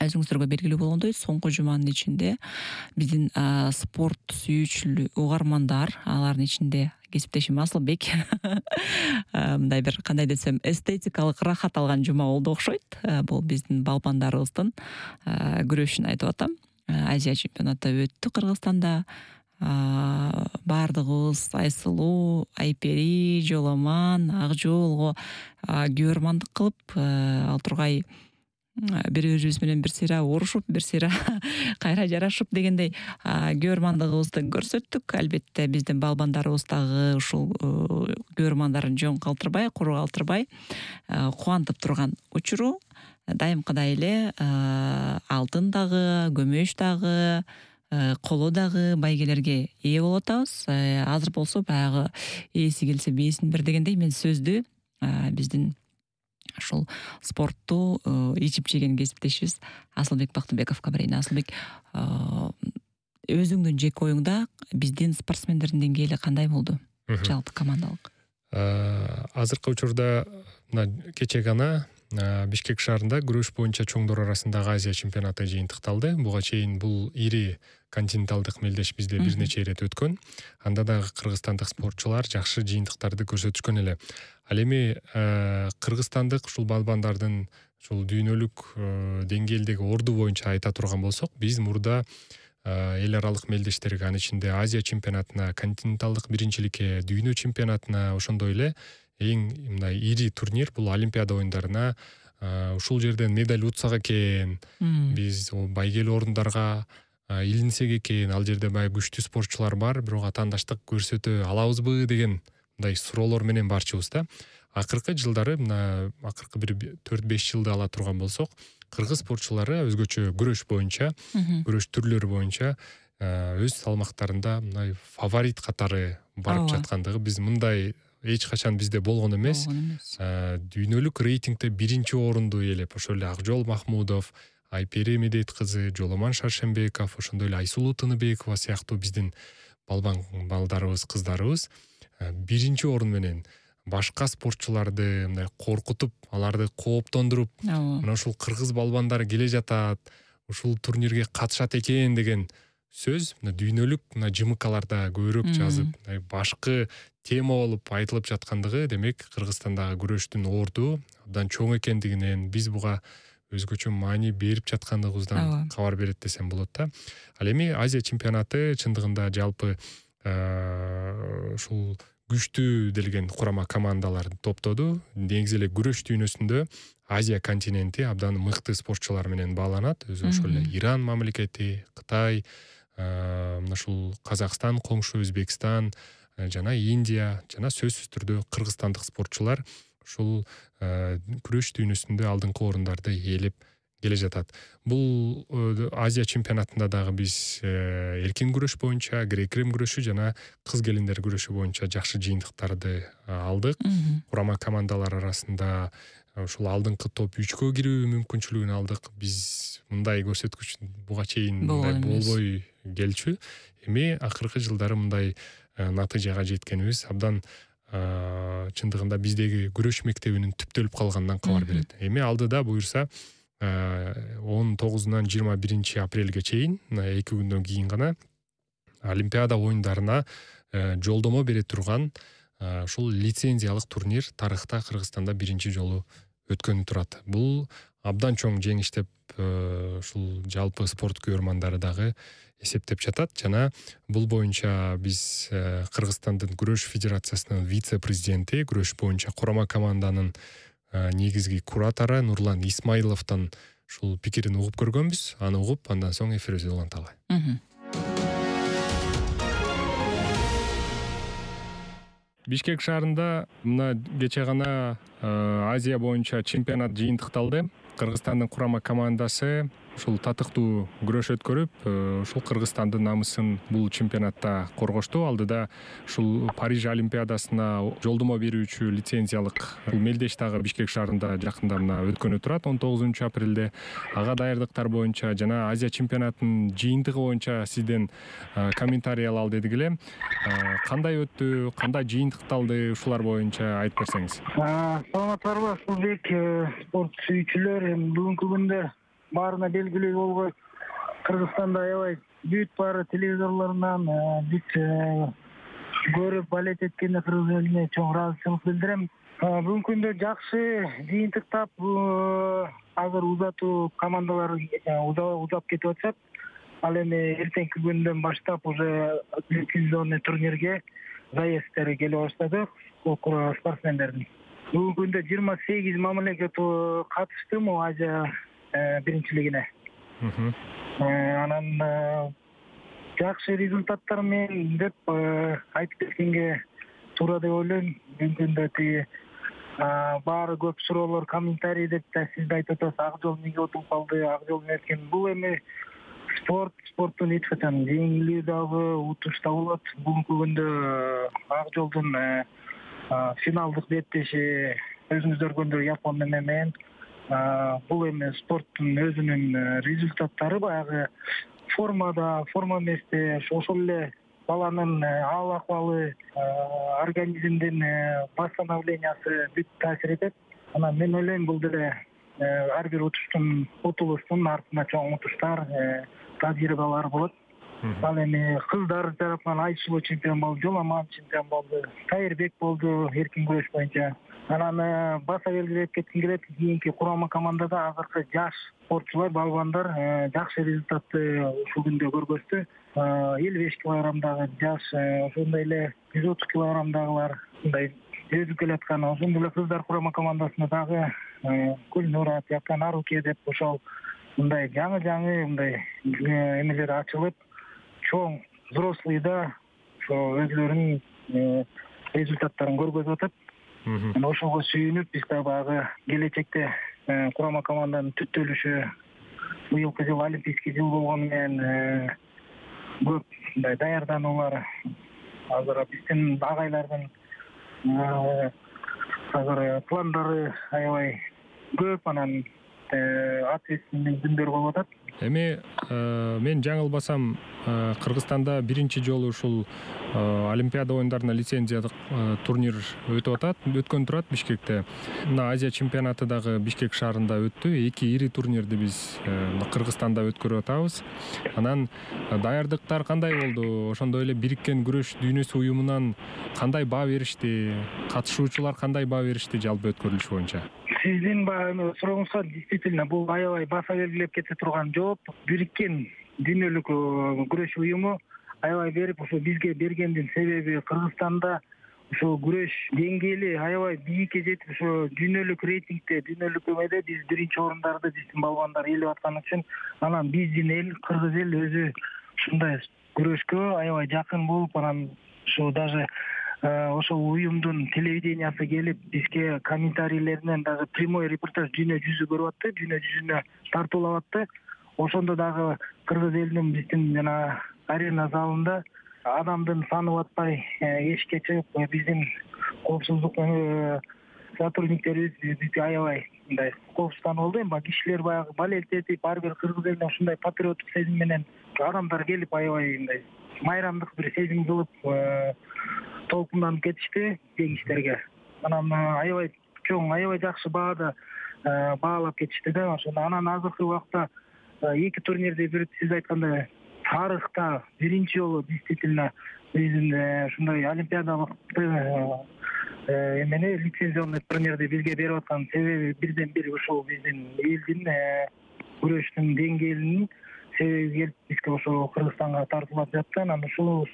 Өзүңүздөргө белгилүү болгондой, соңку жуманын ичинде биздин спорт сүйүүчү угармандар, алардын ичинде кесиптешим Асылбек мындай бир кандай десем, эстетикалык рахат алган жума болду окшойт. Бул биздин балбандарыбыздын күрөшүн айтып атам. Азия чемпионаты өттү Кыргызстанда. Бардыгыбыз Айсылуу, Айпери, Жоламан, Акжолго күбөрмандык кылып, ал тургай бири-бирибиз менен бир сыйра урушуп, бир сыйра кайра жарашып дегендей күбөрмандыгыбызды көрсөттүк. Албетте биздин балбандарыбыз дагы ушул күбөрмандарын жөн калтырбай, куру калтырбай кубантып турган учуру. Дайымкыдай эле алтын дагы, күмүш дагы, коло дагы байгелерге ээ болуп атабыз. Азыр болсо баягы ээси келсе бээсин бер дегендей, мен сөздү биздин ушул спортту ичип жеген кесиптешибиз Асылбек Бактыбековго берейин. Асылбек, өзүңдүн жеке оюңда биздин спортсмендердин деңгээли кандай болду? Жалпы командалык. Азыркы учурда кече гана Бишкек шаарында күрөш боюнча чоңдор арасындагы Азия чемпионаты жыйынтыкталды. Буга чейин бул ири континенталдык мелдеш бизде бир нече ирет өткөн. Анда дагы кыргызстандык спортчулар жакшы жыйынтыктарды көрсөтүшкөн эле. Ал эми кыргызстандык ушул балбандардын ушул дүйнөлүк деңгээлдеги орду боюнча айта турган болсок, биз мурда эл аралык мелдештерге, анын ичинде Азия чемпионатына, континенталдык биринчиликке, дүйнө чемпионатына, ошондой эле эң мындай ири турнир бул Олимпиада оюндарына ушул жерден медаль утсак экен, биз байгелүү орундарга илинсек экен, ал жерде баягы күчтүү спортчулар бар, бирок атаандаштык көрсөтө алабызбы деген мындай суроолор менен барчубуз да. Акыркы жылдары мына акыркы бир төрт беш жылды ала турган болсок, кыргыз спортчулары өзгөчө күрөш боюнча, күрөш түрлөрү боюнча өз салмактарында мындай фаворит катары барып жаткандыгы биз мындай эч качан бизде болгон эмес. Дүйнөлүк рейтингде биринчи орунду ээлеп, ошол эле Акжол Махмудов, Айпери Медет кызы, Жоломан Шаршембеков, ошондой эле Айсулуу Тыныбекова сыяктуу биздин балбан балдарыбыз, кыздарыбыз биринчи орун менен башка спортчуларды мындай коркутуп, аларды кооптондуруп, мына ушул кыргыз балбандар келе жатат, ушул турнирге катышат экен деген сөз мына дүйнөлүк мына жымыкаларда көбүрөөк жазып, башкы тема болуп айтылып жаткандыгы, демек Кыргызстандагы күрөштүн орду абдан чоң экендигинен, биз буга өзгөчө маани берип жаткандыгыбыздан кабар берет десем болот да. Ал эми Азия чемпионаты чындыгында жалпы ушул күчтүү делген курама командаларды топтоду. Негизи эле күрөш дүйнөсүндө Азия континенти абдан мыкты спортчулар менен бааланат. Өзү ошол эле Иран мамлекети, Кытай, мына ушул Казакстан, коңшу Өзбекстан жана Индия жана сөзсүз түрдө кыргызстандык спортчулар ушул күрөш дүйнөсүндө алдыңкы орундарды ээлеп келе жатат. Бул Азия чемпионатында дагы биз эркин күрөш боюнча, грек-рим күрөшү жана кыз келиндер күрөшү боюнча жакшы жыйынтыктарды алдык. Курама командалар арасында ушул алдыңкы топ үчкө кирүү мүмкүнчүлүгүн алдык. Биз мындай көрсөткүч буга чейин болбой келчү. Эми акыркы жылдары мындай натыйжага жеткенибиз абдан чындыгында биздеги күрөш мектебинин түптөлүп калганынан кабар берет. Эми алдыда буюрса он тогузунан жыйырма биринчи апрелге чейин, эки күндөн кийин гана Олимпиада оюндарына жолдомо бере турган ушул лицензиялык турнир тарыхта Кыргызстанда биринчи жолу өткөнү турат. Бул абдан чоң жеңиш деп ушул жалпы спорт көрөрмандары дагы эсептеп жатат жана бул боюнча биз Кыргызстандын күрөш федерациясынын вице-президенти, күрөш боюнча курама команданын негизги куратору Нурлан Исмаиловдон ушул пикирин угуп көргөнбүз. Аны угуп, андан соң эфирибизди уланталы. Бишкек шаарында мына кече гана Азия боюнча чемпионат жыйынтыкталды. Кыргызстандын курама командасы ушул татыктуу күрөш өткөрүп, ушул Кыргызстандын намысын бул чемпионатта коргошту. Алдыда ушул Париж олимпиадасына жолдомо берүүчү лицензиялык мелдеш дагы Бишкек шаарында жакында мына өткөнү турат он тогузунчу апрелде. Ага даярдыктар боюнча жана Азия чемпионатынын жыйынтыгы боюнча сизден комментарий алалы дедик эле. Кандай өттү, кандай жыйынтыкталды, ушулар боюнча айтып берсеңиз. Саламатсыздарбы, Сулбек, спорт сүйүүчүлөр. Бүгүнкү күндө баарына белгилүү болгой, Кыргызстанда аябай бүт баары телевизорлорунан бүт көрүп балет эткенде кыргыз элине чоң ыраазычылык билдирем. Бүгүнкү күндө жакшы жыйынтыктап, азыр узатуу командалар узап кетип атышат. Ал эми эртеңки күндөн баштап уже лицензионный турнирге заезддери келе баштады спортсмендердин. Бүгүнкү күндө жыйырма сегиз мамлекет катышты могу Азия биринчилигине. Анан жакшы результаттар менен деп айтып кеткенге туура деп ойлойм. Бүгүнкү күндө тиги баары көп суроолор, комментарий деп да сиз да айтып атасыз, Акжол эмнеге утуп калды, Акжол эркен. Бул эми спорт, спорттун эч качан жеңилүү дагы, утуш да болот. Бүгүнкү күндө Акжолдун финалдык беттеши өзүңүздөр көргөндөй Япон менен бул эми спорттун өзүнүн результаттары, баягы формада, форма эместе, ошол эле баланын аал акыбалы, организмдин восстановлениясы бүт таасир этет. Анан мен ойлойм, бул деле ар бир утуштун, утулуштун артында чоң утуштар, тажрыйбалар болот. Ал эми кыздар тарапынан Айсулуу чемпион болду, Жоламан чемпион болду, Кайырбек болду эркин күрөш боюнча. Анан баса белгилеп кетким келет, кийинки курама командада азыркы жаш спортчулар, балбандар жакшы результатты ушул күндө көргөздү. элүү беш килограммдагы жаш, ошондой эле жүз отуз килограммдагылар мындай өзүп келаткан. Ошондой эле кыздар курама командасында дагы Гүлнура, Наруке деп ошол мындай жаңы жаңы мындай эмелер ачылып, чоң взрослыйда ошо өзлөрүнүн результаттарын көргөзүп атат. Ошого сүйүнүп, биз дагы баягы келечекте курама команданын түптөлүшү, быйылкы жыл олимпийский жыл болгону менен көп мындай даярдануулар азыр биздин агайлардын азыр пландары аябай көп, анан ответственный күндөр болуп атат. Эми мен жаңылбасам, Кыргызстанда биринчи жолу ушул Олимпиада оюндарына лицензиялык турнир өтүп атат, өткөн турат Бишкекте. Мына Азия чемпионаты дагы Бишкек шаарында өттү. Эки ири турнирди биз Кыргызстанда өткөрүп атабыз. Анан даярдыктар кандай болду? Ошондой эле Бириккен күрөш дүйнөсү уюмунан кандай баа беришти? Катышуучулар кандай баа беришти жалпы өткөрүлүш боюнча? Сиздин баягы сурооңузга действительно бул аябай баса белгилеп кете турган жооп. Бириккен дүйнөлүк күрөш уюму аябай берип, ошо бизге бергендин себеби Кыргызстанда ошо күрөш деңгээли аябай бийикке жетип, ошо дүйнөлүк рейтингде, дүйнөлүк эмеде биз биринчи орундарды биздин балбандар ээлеп аткан үчүн, анан биздин эл, кыргыз эл өзү ушундай күрөшкө аябай жакын болуп, анан ошо даже ошол уюмдун телевидениясы келип, бизге комментарийлеринен дагы прямой репортаж дүйнө жүзү көрүп атты, дүйнө жүзүнө тартуулап атты. Ошондо дагы кыргыз элинин биздин жана арена залында адамдын саны батпай эшикке чыгып, биздин коопсуздук сотрудниктерибиз бизге аябай мындай коопсузданып алды. Эми кишилер баягы балелтетип, ар бир кыргыз элине ушундай патриоттук сезим менен адамдар келип, аябай мындай майрамдык бир сезим кылып, толкунданып кетишти жеңиштерге. Анан аябай чоң, аябай жакшы баада баалап кетишти да. Ошондо анан азыркы убакта эки турнирди бир сиз айткандай тарыхта биринчи жолу действительно биздин ушундай олимпиадалык эмени лицензионный турнирди бизге берип аткан себеби бирден бир ушул биздин элдин күрөштүн деңгээлинин себеби келип бизге ошо Кыргызстанга тартуулап жатты. Анан ушул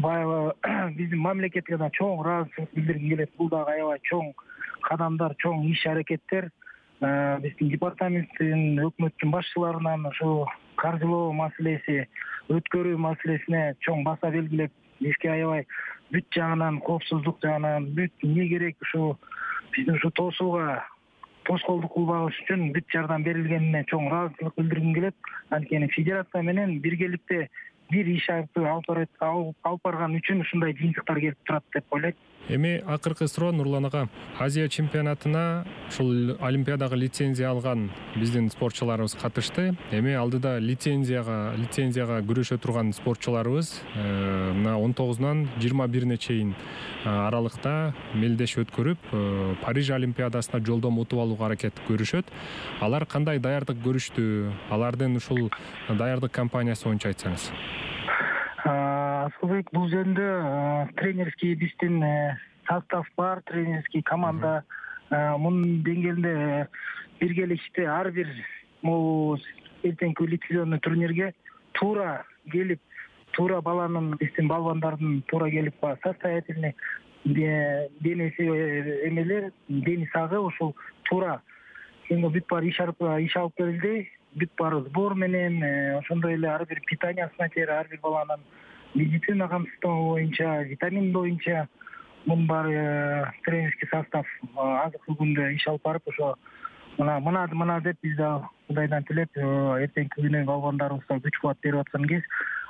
баягы биздин мамлекетке да чоң ыраазычылык билдиргим келет. Бул дагы аябай чоң кадамдар, чоң иш аракеттер. Биздин департаменттин, өкмөттүн башчыларынан ошо каржылоо маселеси, өткөрүү маселесине чоң баса белгилеп, бизге аябай бүт жагынан, коопсуздук жагынан, бүт эмне керек ушу биздин ушу тосууга тоскоолдук кылбагыш үчүн бүт жардам берилгенине чоң ыраазычылык билдиргим келет. Анткени федерация менен биргеликте бир иш алып барган үчүн ушундай жыйынтыктар келип турат деп ойлойт. Эми акыркы суроо Нурлан ага. Азия чемпионатына ушул олимпиадага лицензия алган биздин спортчуларыбыз катышты. Эми алдыда лицензияга лицензияга күрөшө турган спортчуларыбыз мына он тогузунан жыйырма бирине чейин аралыкта мелдеш өткөрүп, Париж олимпиадасына жолдомо утуп алууга аракет көрүшөт. Алар кандай даярдык көрүштү? Алардын ушул даярдык кампаниясы боюнча айтсаңыз. Асылбек, бул жөнүндө тренерский биздин состав бар, тренерский команда мунун деңгээлинде биргелешти. Ар бир могу эртеңки лицензионный турнирге туура келип, туура баланын, биздин балбандардын туура келип, состоятельный денеси эмелер, дени сагы ушул туура бүт баары иш алып келди. Бүт баары сбор менен, ошондой эле ар бир питаниясына чейин, ар бир баланын медицина камсыздоо боюнча, витамин боюнча мунун баары тренерский состав азыркы күндө иш алып барып, ошо мына мына мына деп биз да Кудайдан тилеп, эртеңки күнү балбандарыбызга күч кубат берип аткан кез.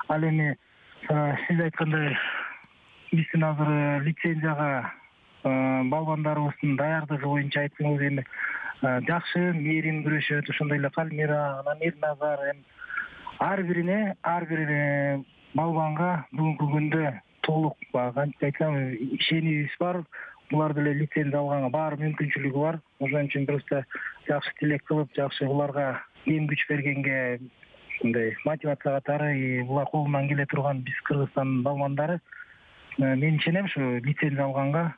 Ал эми сиз айткандай биздин азыр лицензияга балбандарыбыздын даярдыгы боюнча айтсаңыз, эми жакшы мээрим күрөшөт, ошондой эле Калмира, анан Эрназар, эми ар бирине, ар бир балбанга бүгүнкү күндө толук кантип айтсам ишенимибиз бар. Булар деле лицензия алганга баары мүмкүнчүлүгү бар. Ошон үчүн просто жакшы тилек кылып, жакшы буларга эң күч бергенге мындай мотивация катары булар колунан келе турган биз Кыргызстандын балбандары, мен ишенем ушу лицензия алганга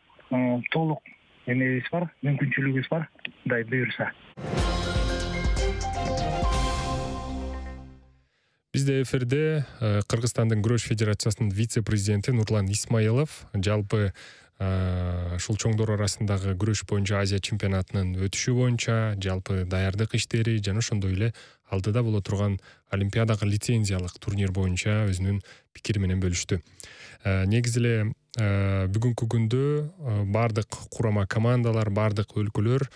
толук эмебиз бар, мүмкүнчүлүгүбүз бар, Кудай буйруса. Бизде эфирде Кыргызстандын күрөш федерациясынын вице-президенти Нурлан Исмаилов жалпы ушул чоңдор арасындагы күрөш боюнча Азия чемпионатынын өтүшү боюнча жалпы даярдык иштери жана ошондой эле алдыда боло турган Олимпиадага лицензиялык турнир боюнча өзүнүн пикири менен бөлүштү. Негизи эле бүгүнкү күндө бардык курама командалар, бардык өлкөлөр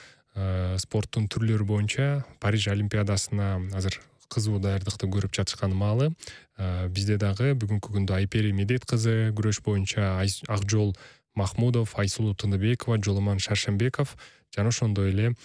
спорттун түрлөрү боюнча Париж Олимпиадасына азыр кызуу даярдыкты көрүп жатышкан маалы. Бизде дагы бүгүнкү күндө Айпери Медет кызы күрөш боюнча, Акжол Махмудов, Айсулуу Тындыбекова, Жоломон Шаршембеков жана ошондой эле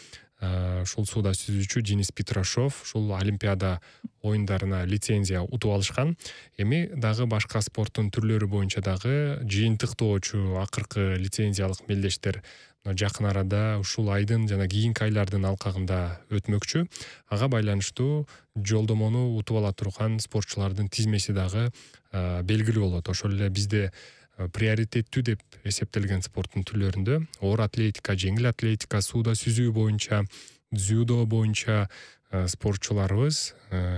ушул сууда сүзүүчү Денис Петрашов ушул Олимпиада оюндарына лицензия утуп алышкан. Эми дагы башка спорттун түрлөрү боюнча дагы жыйынтыктоочу акыркы лицензиялык мелдештер жакын арада ушул айдын жана кийинки айлардын алкагында өтмөкчү. Ага байланыштуу жолдомону утуп ала турган спортчулардын тизмеси дагы белгилүү болот. Ошол эле бизде приоритеттүү деп эсептелген спорттун түрлөрүндө оор атлетика, жеңил атлетика, сууда сүзүү боюнча, дзюдо боюнча спортчуларыбыз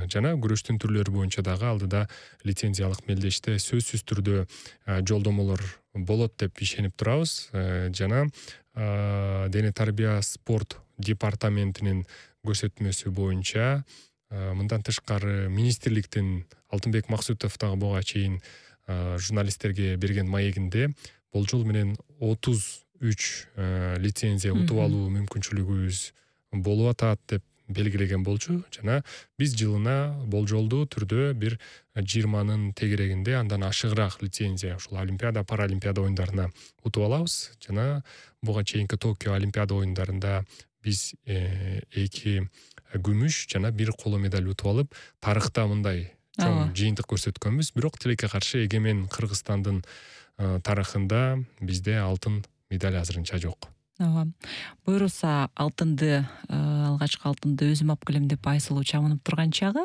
жана күрөштүн түрлөрү боюнча дагы алдыда лицензиялык мелдеште сөзсүз түрдө жолдомолор болот деп ишенип турабыз. Жана дене тарбия спорт департаментинин көрсөтмөсү боюнча мындан тышкары министрликтин Алтынбек Максутов дагы буга чейин журналисттерге берген маегинде болжол менен отуз үч лицензия утуп алуу мүмкүнчүлүгүбүз болуп атат деп белгилеген болчу. Жана биз жылына болжолдуу түрдө бир жыйырманын тегерегинде андан ашыгыраак лицензия ушул Олимпиада, Паралимпиада оюндарына утуп алабыз. Жана буга чейинки Токио Олимпиада оюндарында биз эки күмүш жана бир коло медаль утуп алып, тарыхта мындай чоң жыйынтык көрсөткөнбүз. Бирок тилекке каршы эгемен Кыргызстандын тарыхында бизде алтын медаль азырынча жок. Ооба. Буюрса алтынды, алгачкы алтынды өзүм алып келем деп Айсулуу чамынып турган чагы.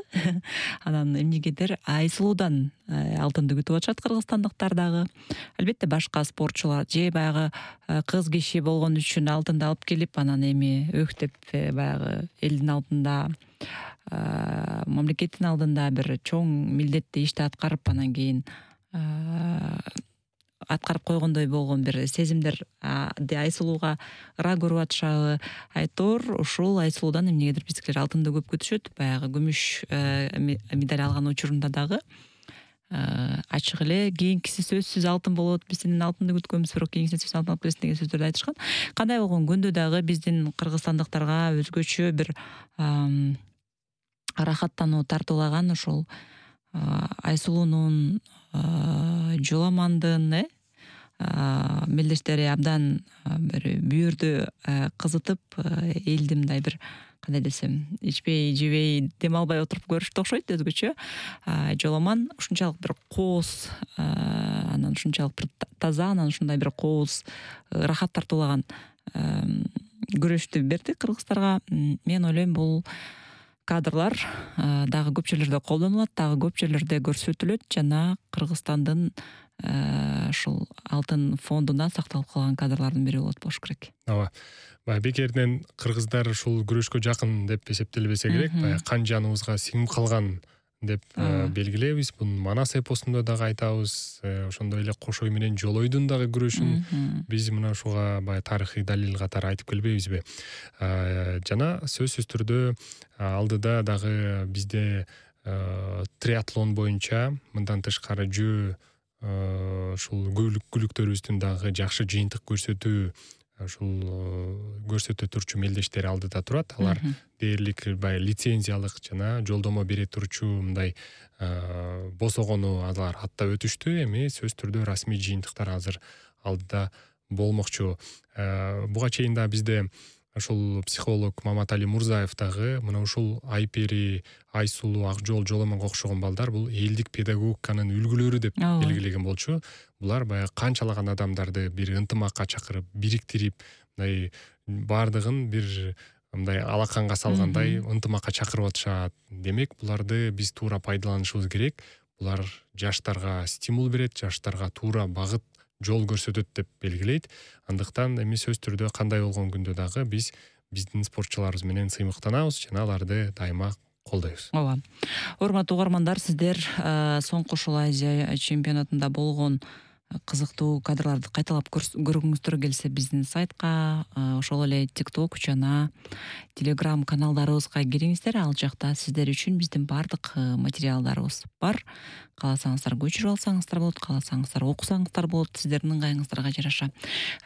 Анан эмнегедир Айсулуудан алтынды күтүп атышат кыргызстандыктар дагы. Албетте башка спортчулар же баягы кыз киши болгон үчүн алтынды алып келип, анан эми өктөп баягы элдин алдында, мамлекеттин алдында бир чоң милдетти ишти аткарып, анан кийин аткарып койгондой болгон бир сезимдер Айсулууга ыра көрүп атышабы. Айтор ушул Айсулуудан эмнегедир биздикилер алтынды көп күтүшөт. Баягы күмүш медаль алган учурунда дагы ачык эле кийинкиси сөзсүз алтын болот, биз сенен алтынды күткөнбүз, бирок кийинкиси сөзсүз алтын алып келесиң деген сөздөрдү айтышкан. Кандай болгон көндө дагы биздин кыргызстандыктарга өзгөчө бир рахаттануу тартуулаган ушул Айсулуунун, Жоломондун мелдештери абдан бир бүйүрдү кызытып, элди мындай бир кандай десем, ичпей, жебей, дем албай отуруп көрүштү окшойт өзгөчө. Жоломон ушунчалык бир кооз, анан ушунчалык бир таза, анан ушундай бир кооз, рахат тартуулаган күрөштү берди кыргыздарга. Мен ойлойм, бул кадрлар дагы көп жерлерде колдонулат, дагы көп жерлерде көрсөтүлөт жана Кыргызстандын ушул алтын фондуна сакталып калган кадрлардын бири болот болуш керек. Ооба. Баягы бекеринен кыргыздар ушул күрөшкө жакын деп эсептелбесе керек, баягы кан жаныбызга сиңип калган деп белгилейбиз. Бун Манас эпосунда дагы айтабыз. Ошондой эле Кошой менен Жолойдун дагы күрөшүн биз мына ушуга баягы тарыхый далил катары айтып келбейбизби? Жана сөзсүз түрдө алдыда дагы бизде триатлон боюнча мындан тышкары жөө ушул көлүктөрүбүздүн дагы жакшы жыйынтык көрсөтүү ушул көрсөтө турчу мелдештер алдыда турат. Алар дээрлик баягы лицензиялык жана жолдомо бере турчу мындай босогону алар аттап өтүштү. Эми сөз түрдө расмий жыйынтыктар азыр алдыда болмокчу. Буга чейин да бизде ушул психолог Маматали Мурзаев дагы мына ушул Айпери, Айсулуу, Акжол, Жоломонго окшогон балдар бул элдик педагогиканын үлгүлөрү деп белгилеген болчу. Булар баягы канчалаган адамдарды бир ынтымакка чакырып, бириктирип, мындай бардыгын бир мындай алаканга салгандай ынтымакка чакырып атышат. Демек, буларды биз туура пайдаланышыбыз керек. Булар жаштарга стимул берет, жаштарга туура багыт, жол көрсөтөт деп белгилейт. Андыктан эми сөз түрдө кандай болгон күндө дагы биз биздин спортчуларыбыз менен сыймыктанабыз жана аларды дайыма колдойбуз. Ооба. Урматтуу угармандар, сиздер соңку ушул Азия чемпионатында болгон кызыктуу кадрларды кайталап көргүңүздөр келсе биздин сайтка, ошол эле TikTok жана Telegram каналдарыбызга кириңиздер. Ал жакта сиздер үчүн биздин баардык материалдарыбыз бар. Кааласаңыздар көчүрүп алсаңыздар болот, кааласаңыздар окусаңыздар болот, сиздердин ыңгайыңыздарга жараша.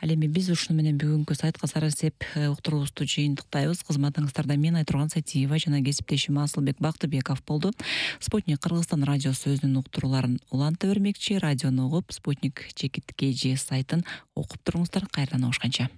Ал эми биз ушуну менен бүгүнкү сайтка саразеп уктуруубузду жыйынтыктайбыз. Кызматыңыздарда мен Айтурган Сайтиева жана кесиптешим Асылбек Бактыбеков болду. Спутник Кыргызстан радиосу өзүнүн уктурууларын уланта бермекчи. Радиону угуп, Спутник чекит кей жи сайтын окуп туруңуздар. Кайрадан угушканча.